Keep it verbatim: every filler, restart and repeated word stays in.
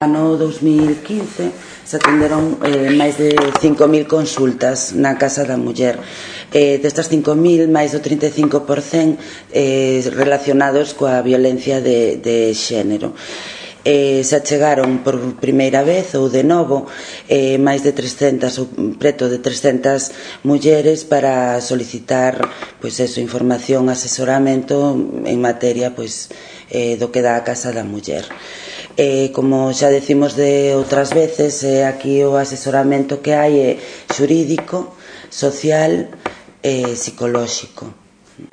No dous mil quince se atenderon eh, máis de cinco mil consultas na Casa da Muller. Eh, destas cinco mil, máis do trinta e cinco por cento eh, relacionados coa violencia de, de xénero. Eh, se achegaron por primeira vez ou de novo eh, máis de trescentas ou preto de trescentas mulleres para solicitar pois eso, información, asesoramento en materia pois, eh, do que dá a Casa da Muller. Eh, como xa decimos de outras veces, eh, aquí o asesoramento que hai é xurídico, social e psicolóxico.